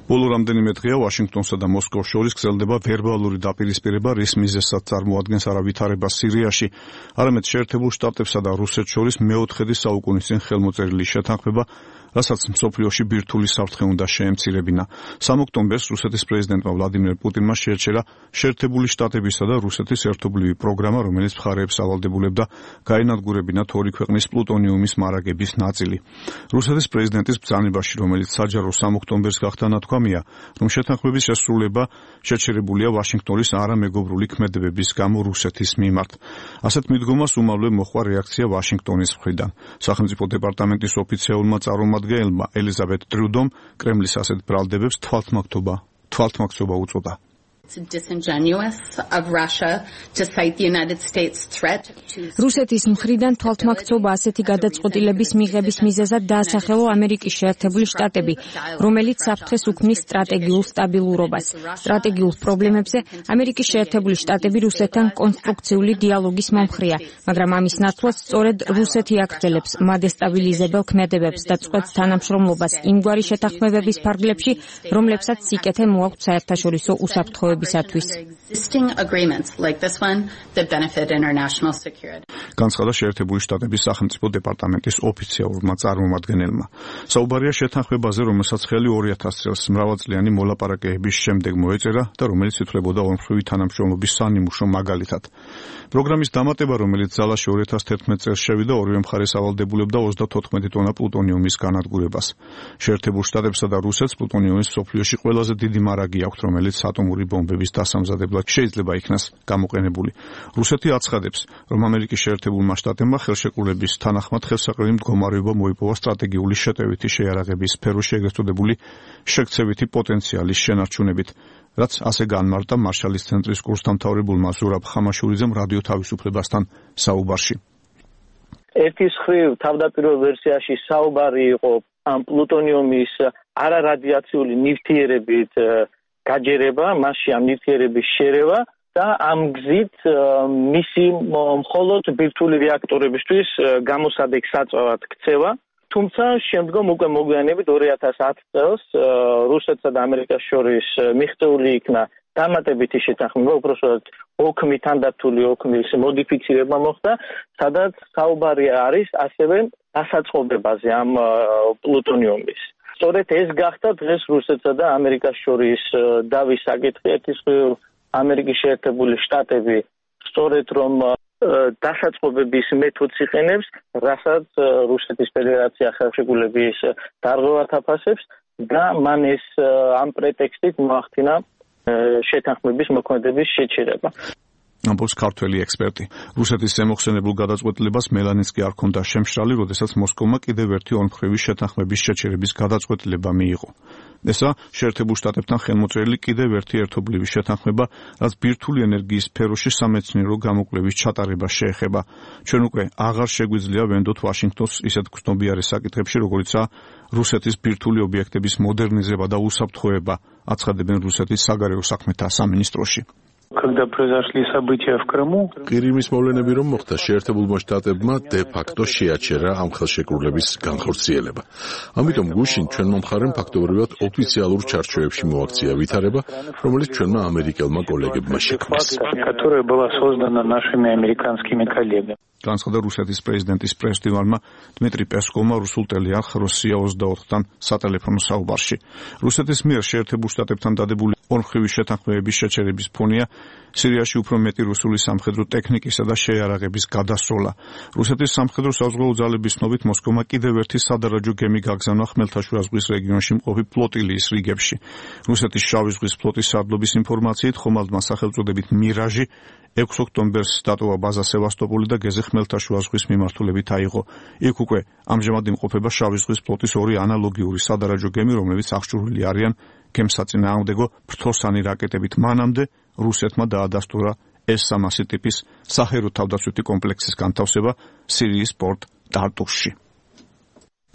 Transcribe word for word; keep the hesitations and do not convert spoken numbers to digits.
ბოლო რამდენიმე დღეა ვაშინგტონსა და მოსკოვს შორის გრძელდება ვერბალური დაპირისპირება, რის მიზეზსაც წარმოადგენს არა ვითარება სირიაში, არამედ შეერთებულ შტატებსა და რუსეთს შორის მეოთხედი საუკუნის წინ ხელმოწერილი შეთანხმება, რასაც მსოფლიოში ბირთვული საფრთხე უნდა შეემცირებინა. სამი ოქტომბერს რუსეთის პრეზიდენტმა ვლადიმერ პუტინმა შეერჩერა შეერთებული შტატებისა და რუსეთის ერთობლივი პროგრამა, რომელიც მხარეებს ავალდებულებდა გაენადგურებინათ ორი ქვეყნის პლუტონიუმის მარაგების ნაწილი. რუსეთის პრეზიდენტის ბრძანებაში, რომელიც საჯარო სამი ოქტომბერს გახდა ნათქვამია, რომ შეთანხმების შესრულება შეჩერებულია ვაშინგტონის არამეგობრული ქმედებების გამო რუსეთის მიმართ. ასეთ მიდგომას უმალვე მოჰყვა რეაქცია ვაშინგტონის მხრიდან. სახელმწიფო დეპარტამენტის ოფიციალურმა წარმომადგენელმა ელიზაბეთ ტრიუდომ კრემლის ასეთ ბრალდებებს თვალთმაგთობა თვალთმაგცობა უწოდა. რუსეთის მხრიდან თვალთმაგცობა ასეთი გადაწყვეტილების მიღების მიზეზად დაასახელა ამერიკის შეერთებული შტატები, რომელიც საფრთხეს უქმნის სტრატეგიულ სტაბილურობას. სტრატეგიულ პრობლემებზე ამერიკის შეერთებული შტატები რუსეთთან კონსტრუქციული დიალოგის მომხრეა, მაგრამ ამის ნაცვლად სწორედ რუსეთი აგრძელებს მადესტაბილიზებელ ქმედებებს და წყვეტს თანამშრომლობას იმგვარი შეთანხმებების ფარგლებში, რომლებსაც სიკეთე მოაქვთ საერთაშორისო უსაფრთხოებისათვის. განცხადა შეერთებული შტატების სახელმწიფო დეპარტამენტის ოფიციალურმა წარმომადგენელმა. საუბარია შეთანხმებაზე, რომელსაც ხელი ორი ათას წელს მრავალწლიანი მოლაპარაკებების შემდეგ მოეწერა და რომელიც ითვლებოდა ორმხრივი თანამშრომლობის სანიმუშო მაგალითად. პროგრამის დამატება, რომელიც ძალაში ორი ათას თერთმეტ წელს შევიდა, ორივე მხარეს ავალდებულებდა ოცდათოთხმეტი ტონა პლუტონიუმის განადგურებას. შეერთებულ შტატებსა და რუსეთს პლუტონიუმის მსოფლიოში ყველაზე დიდი მარაგი აქვთ, რომელიც ატომური ბომბების დასამზადებლად შეიძლება იქნას გამოყენებული. რუსეთი აცხადებს, რომ ამერიკის შეერთებულმა შტატებმა ხელშეკრულების თანახმად ხელსაყრელი მდგომარეობა მოიპოვა სტრატეგიული შეტევითი შეიარაღების სფეროში ეგრეთ წოდებული შექცევითი პოტენციალის შენარჩუნებით, რაც ასე განმარტა მარშალის ცენტრის კურსდამთავრებულმა ზურაბ ხამაშურიძემ რადიო თავისუფლებასთან საუბარში. ერთის მხრივ თავდაპირველ ვერსიაში საუბარი იყო ამ პლუტონიუმის არარადიაციული ნივთიერებით გაჯერება, მასში ამ ნივთიერების შერევა და ამ გზით მისი მხოლოდ ბირთვული რეაქტორებისთვის გამოსადეგ საწვავად ქცევა. თუმცა შემდგომ უკვე მოგვიანებით ორი ათას ათი წელს რუსეთსა და ამერიკას შორის მიღწეული იქნა დამატებითი შეთანხმება, უпростоად ოქმი თანდათული ოქმის მოდიფიცირება მოხდა, სადაც საუბარი არის ასევე დასაწყობებაზე ამ პლუტონიუმის. სწორედ ეს გახდა დღეს რუსეთსა და ამერიკას შორის დავის საკითხი. ერთის მხრივ ამერიკის შეერთებული შტატები სწორედ რომ დასაწყობების მეთოდს იყენებს, რასაც რუსეთის ფედერაცია ხელშეკრულების დარღვევად აფასებს და მან ეს ამ პრეტექსტით მოახდინა შეთანხმების მოქმედების შეჩერება. ამბობს ქართველი ექსპერტი. რუსეთის ზემოხსენებულ გადაწყვეტილებას მელანიც კი არ ჰქონდა შემშრალი, როდესაც მოსკოვმა კიდევ ერთი ორმხრივი შეთანხმების შეჩერების გადაწყვეტილება მიიღო. ესა შეერთებულ შტატებთან ხელმოწერილი კიდევ ერთი ერთობლივი შეთანხმება, რაც ბირთვული ენერგიის სფეროში სამეცნიერო გამოკვლევის ჩატარებას შეეხება. ჩვენ უკვე აღარ შეგვიძლია ვენდოთ ვაშინგტონს ისეთ გრძნობიარე საკითხებში, როგორიცაა რუსეთის ბირთვული ობიექტების მოდერნიზება და უსაფრთხოება, აცხადებენ რუსეთის საგარეო საქმეთა სამინისტროში. Когда произошли события в Крыму, Ყირიმის მოვლენები რომ მოხდა, შეერთებულმა შტატებმა დე-ფაქტო შეაჩერა ამ ხელშეკრულების განხორციელება. ამიტომ გუშინ ჩვენმა მხარემ ფაქტობრივად ოფიციალურ ჩარჩოებში მოაქცია ვითარება, რომელიც ჩვენმა ამერიკელმა კოლეგებმა შექმნეს. которая была создана нашими американскими коллегами. განცხადა რუსეთის პრეზიდენტის პრესდივარმა დმიტრი პესკოვმა რუსულ ტელეარხ როსია ოცდაოთხთან სატელეფონო საუბარში. რუსეთის მიერ შეერთებულ შტატებთან დადებული ორმხრივი შეთანხმებების შეჩერების ფონია სირიაში უფრო მეტი რუსული სამხედრო ტექნიკისა და შეიარაღების გადასროლა. რუსეთის სამხედრო საზღვაო ძალების ცნობით მოსკოვმა კიდევ ერთი სადარაჯო გემი გაგზავნა ხმელთაშუა ზღვის რეგიონში მყოფი ფლოტილიის რიგებში. რუსეთის შავი ზღვის ფლოტის სარდლობის ინფორმაციით ხომალდმა სახელწოდებით მირაჟი ექვსი ოქტომბერს დატოვა ბაზა სევასტოპოლი და გეზი ხმელთაშუა ზღვის მიმართულებით აიღო. იქ უკვე ამჟამად იმყოფება შავი ზღვის ფლოტის ორი ანალოგიური სადარაჯო გემი, რომლებიც აღჭურვილი არიან გემსაწინააღმდეგო ფრთოსანი რაკეტებით. მანამდე რუსეთმა დაადასტურა ეს სამასი ტიპის საჰაერო თავდაცვითი კომპლექსის განთავსება სირიის პორტ ტარტუსში.